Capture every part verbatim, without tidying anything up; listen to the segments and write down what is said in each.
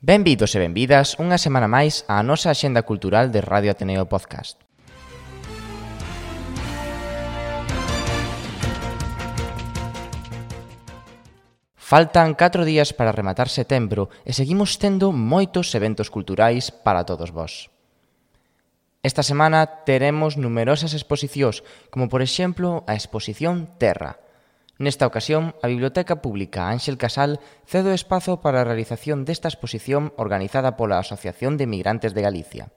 Benvidos e benvidas unha semana máis á nosa axenda cultural de Radio Ateneo Podcast. Faltan catro días para rematar setembro e seguimos tendo moitos eventos culturais para todos vós. Esta semana teremos numerosas exposicións, como por exemplo a exposición Terra. Nesta ocasión, a Biblioteca Pública Ánxel Casal cede o espazo para a realización desta exposición organizada pola Asociación de Migrantes de Galicia.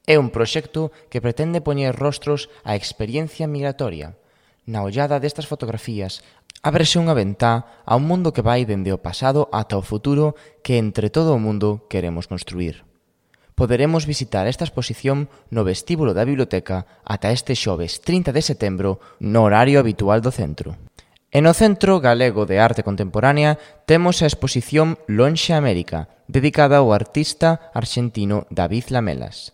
É un proxecto que pretende poñer rostros á experiencia migratoria. Na ollada destas fotografías, ábrese unha ventá a un mundo que vai dende o pasado ata o futuro que entre todo o mundo queremos construir. Poderemos visitar esta exposición no vestíbulo da biblioteca ata este xoves trinta de setembro no horario habitual do centro. E no Centro Galego de Arte Contemporánea temos a exposición Lonxe América, dedicada ao artista arxentino David Lamelas.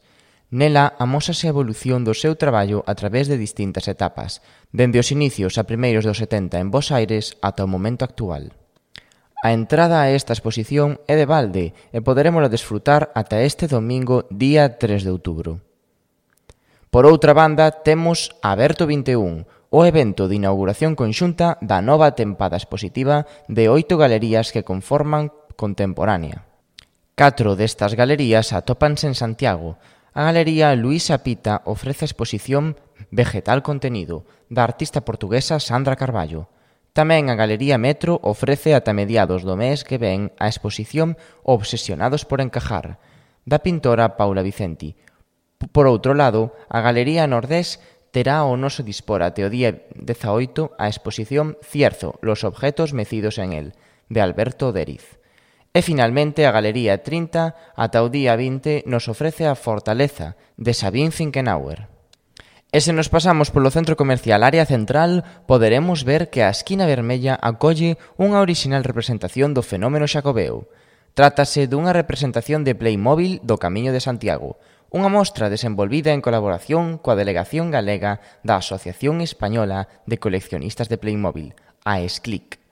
Nela amósase a evolución do seu traballo a través de distintas etapas, dende os inicios a primeiros dos setenta en Bos Aires ata o momento actual. A entrada a esta exposición é de balde e poderémola desfrutar ata este domingo, día tres de outubro. Por outra banda, temos Aberto vinte e un, o evento de inauguración conxunta da nova tempada expositiva de oito galerías que conforman Contemporánea. Catro destas galerías atópanse en Santiago. A Galería Luisa Pita ofrece a exposición Vegetal Contenido, da artista portuguesa Sandra Carballo. Tamén a Galería Metro ofrece ata mediados do mes que ven a exposición Obsesionados por encajar, da pintora Paula Vicenti. Por outro lado, a Galería Nordés terá o noso dispor até o día dezaoito a exposición Cierzo, los objetos mecidos en él, de Alberto Deriz. E finalmente a Galería trinta, ata o día vinte, nos ofrece a Fortaleza, de Sabine Finkenauer. E se nos pasamos polo centro comercial Área Central, poderemos ver que a Esquina Vermella acolle unha orixinal representación do fenómeno xacobeo. Trátase dunha representación de Playmobil do Camiño de Santiago, unha mostra desenvolvida en colaboración coa Delegación Galega da Asociación Española de Coleccionistas de Playmobil, a ESCLIC.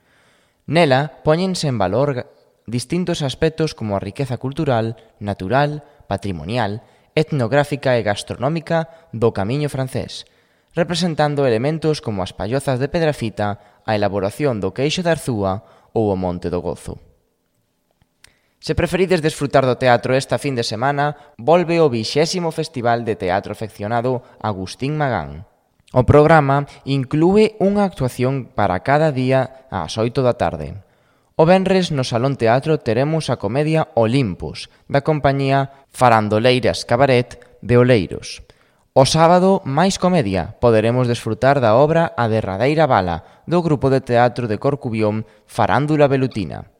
Nela, póñense en valor distintos aspectos como a riqueza cultural, natural, patrimonial, etnográfica e gastronómica do Camiño francés, representando elementos como as pallozas de Pedrafita, a elaboración do queixo de Arzúa ou o Monte do Gozo. Se preferides desfrutar do teatro esta fin de semana, volve o vixésimo Festival de Teatro Afeccionado Agustín Magán. O programa inclúe unha actuación para cada día ás oito da tarde. O venres no Salón Teatro teremos a comedia Olympus, da compañía Farandoleiras Cabaret de Oleiros. O sábado, máis comedia, poderemos desfrutar da obra A derradeira bala, do grupo de teatro de Corcubión Farándula Velutina.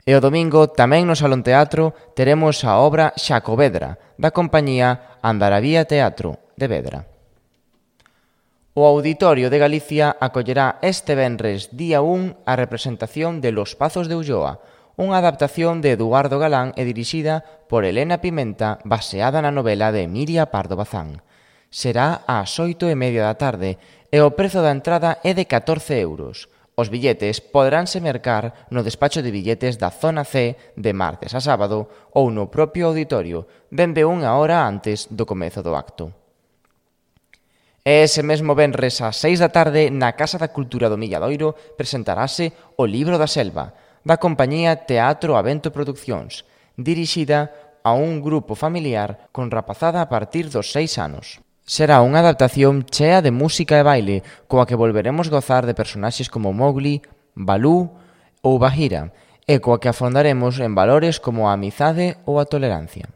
E o domingo, tamén no Salón Teatro, teremos a obra Xacovedra, da compañía Andaravía Teatro, de Vedra. O Auditorio de Galicia acollerá este venres día un a representación de Los Pazos de Ulloa, unha adaptación de Eduardo Galán e dirixida por Elena Pimenta, baseada na novela de Emilia Pardo Bazán. Será ás oito e media da tarde e o prezo da entrada é de catorce euros. Os billetes poderánse mercar no despacho de billetes da Zona C de martes a sábado ou no propio auditorio, dende unha hora antes do comezo do acto. E ese mesmo venres ás seis da tarde, na Casa da Cultura do Milladoiro, presentarase O Libro da Selva, da compañía Teatro Avento Produccións, dirixida a un grupo familiar con rapazada a partir dos seis anos. Será unha adaptación chea de música e baile, coa que volveremos gozar de personaxes como Mowgli, Balú ou Bagheera, e coa que afondaremos en valores como a amizade ou a tolerancia.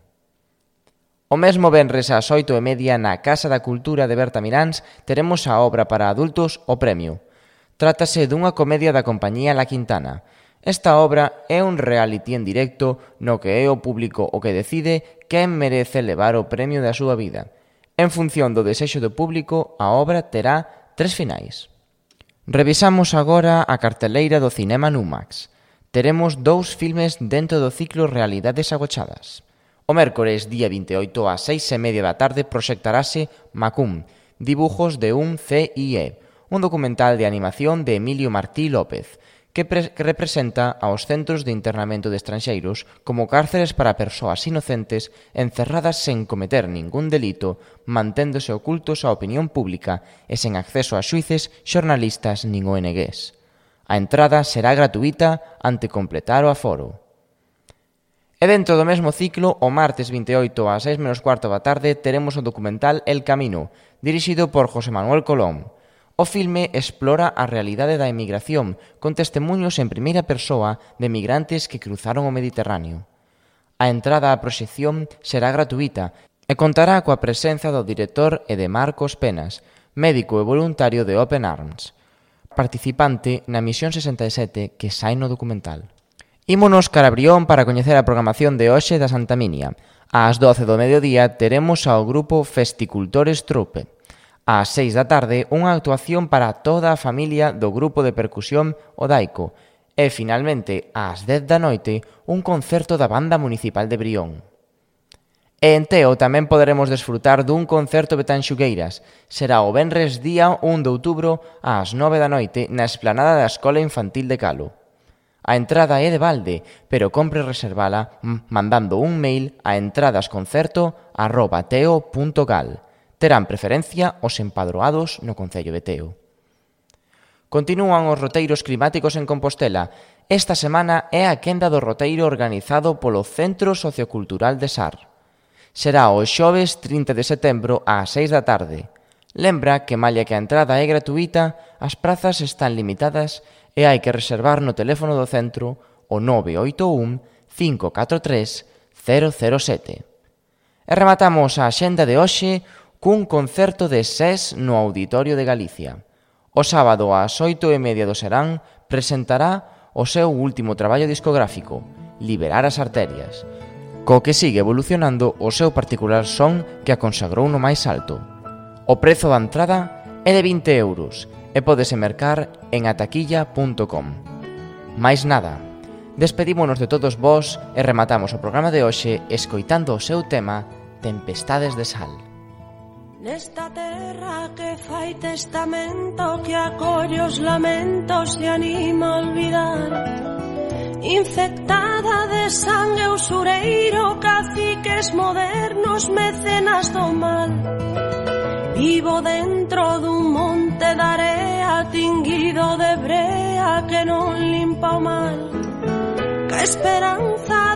O mesmo venres ás oito e media na Casa da Cultura de Berta Miráns teremos a obra para adultos O Premio. Trátase dunha comedia da compañía La Quintana. Esta obra é un reality en directo no que é o público o que decide quen merece levar o premio da súa vida. En función do desexo do público, a obra terá tres finais. Revisamos agora a carteleira do Cinema Numax. Teremos dous filmes dentro do ciclo Realidades Agochadas. O mércores, día vinte e oito, ás seis e media da tarde, proxectarase Macum, dibujos de un C I E, un documental de animación de Emilio Martí López, que, pre- que representa aos centros de internamento de estranxeiros como cárceres para persoas inocentes encerradas sen cometer ningún delito, manténdose ocultos á opinión pública e sen acceso a xuíces, xornalistas nin O N Gs. A entrada será gratuíta ante completar o aforo. E dentro do mesmo ciclo, o martes vinte e oito ás seis menos cuarto da tarde, teremos o documental El Camino, dirixido por José Manuel Colón. O filme explora a realidade da emigración, con testemunhos en primeira persoa de migrantes que cruzaron o Mediterráneo. A entrada á proxección será gratuíta e contará coa presenza do director e de Marcos Penas, médico e voluntario de Open Arms, participante na misión sesenta e sete que sai no documental. Ímonos cara a Brión para coñecer a programación de hoxe da Santa Minia. Ás doce do mediodía teremos ao grupo Festicultores Troupe. Ás seis da tarde, unha actuación para toda a familia do grupo de percusión Odaico. E, finalmente, ás dez da noite, un concerto da Banda Municipal de Brión. E en Teo tamén poderemos desfrutar dun concerto betanxugueiras. Será o venres día un de outubro ás nove da noite na esplanada da Escola Infantil de Calo. A entrada é de balde, pero compre reservala mandando un mail a entradasconcerto arroba teo punto gal. Terán preferencia os empadroados no Concello de Teo. Continúan os roteiros climáticos en Compostela. Esta semana é a quenda do roteiro organizado polo Centro Sociocultural de Sar. Será o xoves trinta de setembro ás seis da tarde. Lembra que, malla que a entrada é gratuíta, as prazas están limitadas e hai que reservar no teléfono do centro o nove oito un cinco catro tres cero cero sete. E rematamos a axenda de hoxe cun concerto de S E S no Auditorio de Galicia. O sábado ás oito e media do Serán presentará o seu último traballo discográfico, Liberar as Arterias, co que sigue evolucionando o seu particular son que a consagrou no máis alto. O prezo da entrada é de vinte euros e pódese mercar en ataquilla punto com. Mais nada, despedímonos de todos vós e rematamos o programa de hoxe escoitando o seu tema Tempestades de Sal. Nesta terra que fai testamento, que acolle os lamentos e anima a olvidar, infectada de sangue usureiro, caciques modernos, mecenas do mal. Vivo dentro dun monte de area tinguido de brea que non limpa o mal. Que esperanza